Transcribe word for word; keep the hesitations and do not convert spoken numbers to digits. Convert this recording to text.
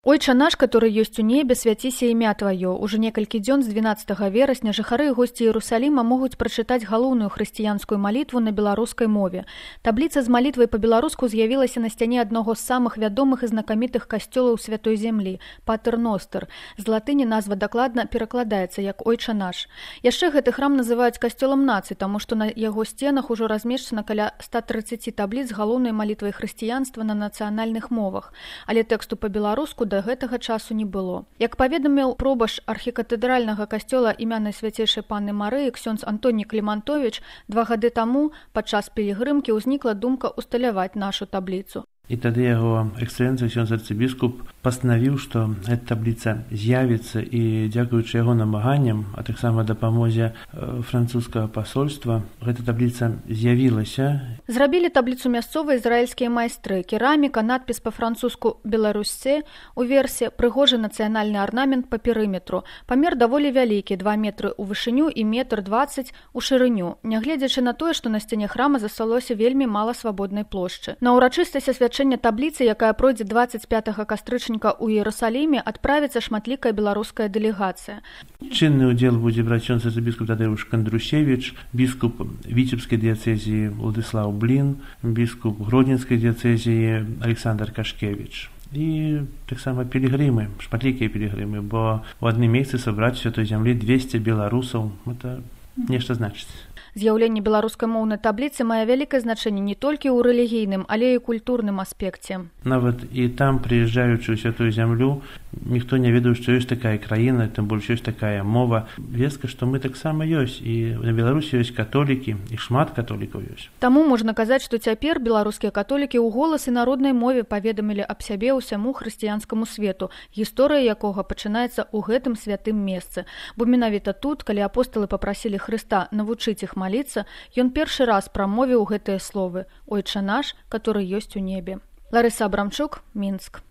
Ойча наш, который ёсць у небе, свяціся імя Тваё. Уже некалькі дзён з дванаццатага верасня жыхары і госці Іерусаліма могуць прачытаць галоўную хрысціянскую малітву на беларускай мове. Табліца з малітвай па-беларуску з'явілася на сцяне аднаго з самых вядомых і знакамітых касцёлаў святой зямлі – Патер Ностер. З латыні назва дакладна перакладаецца як Ойча наш. Яшчэ гэты храм называюць касцёлам нацый, таму што на яго сценах ужо размешчана каля ста трыццаці табліц з галоўнай малітвай хрысціянства на нацыянальных мовах. Але тэксту па-беларуску да гэтага часу не было. Як паведаміў пробаш архікатэдральнага касцёла імя Найсвяцейшай Панны Марыі ксёндз Антоній Клімантовіч, два гады таму падчас пілігрымкі ўзнікла думка усталяваць нашу табліцу. І тады яго эксцэлэнцыя ксёндз арцыбіскуп пастанавіў, што гэта табліца з'явіцца і дзякуючы яго намаганням, а таксама дапамозе французскага пасольства, гэта табліца з'явілася. Зрабілі табліцу мясцовыя ізраільскія майстры. Кераміка, надпіс па-французску «Беларусьце», уверсе прыгожы нацыянальны арнамент па перыметру. Памер даволі вялікі, два метры ў вышыню і метр дваццаць у шырыню, нягледзячы на тое, што на сцяне храма засталося вельмі мала свабоднай плошчы. На ўрачыстасць асвячэння табліцы, якая пройдзе дваццаць пятага кастрычніка ў Іерусаліме, адправіцца шматлікая беларуская дэлегацыя. Чынны ўдзел будзе браць ксёндз арцыбіскуп Тадэуш Кандрушевіч, біскуп Віцебскай дыяцэзіі Уладыслаў Блін, біскуп Гродзенскай дыяцэзіі Александр Кашкевіч. І таксама пілігрымы, шматлікія пілігрымы, бо ў адным месцы сабраць святой зямлі двесце беларусаў, гэта нешта значыць. З'яўленне беларускамоўнай табліцы мае вялікае значэнне не толькі ў рэлігійным, але і культурным аспекце. Нават і там, прыязджаючы ў святую зямлю, ніхто не ведаў, што ёсць такая краіна, тым больш ёсць такая мова. Вестка, што мы таксама ёсць, і на Беларусі ёсць католікі, і шмат католікаў ёсць. Таму можна казаць, што цяпер беларускія католікі ў голас і народнай мове паведамілі аб сябе ўсяму хрысціянскаму свету, гісторыя якога пачынаецца ў гэтым святым месцы. Бо менавіта тут, калі апосталы папрасілі Хрыста навучыць іх маліцца, ён першы раз прамовіў гэтыя словы «Ойча наш, который ёсць у небе». Ларыса Абрамчук, Мінск.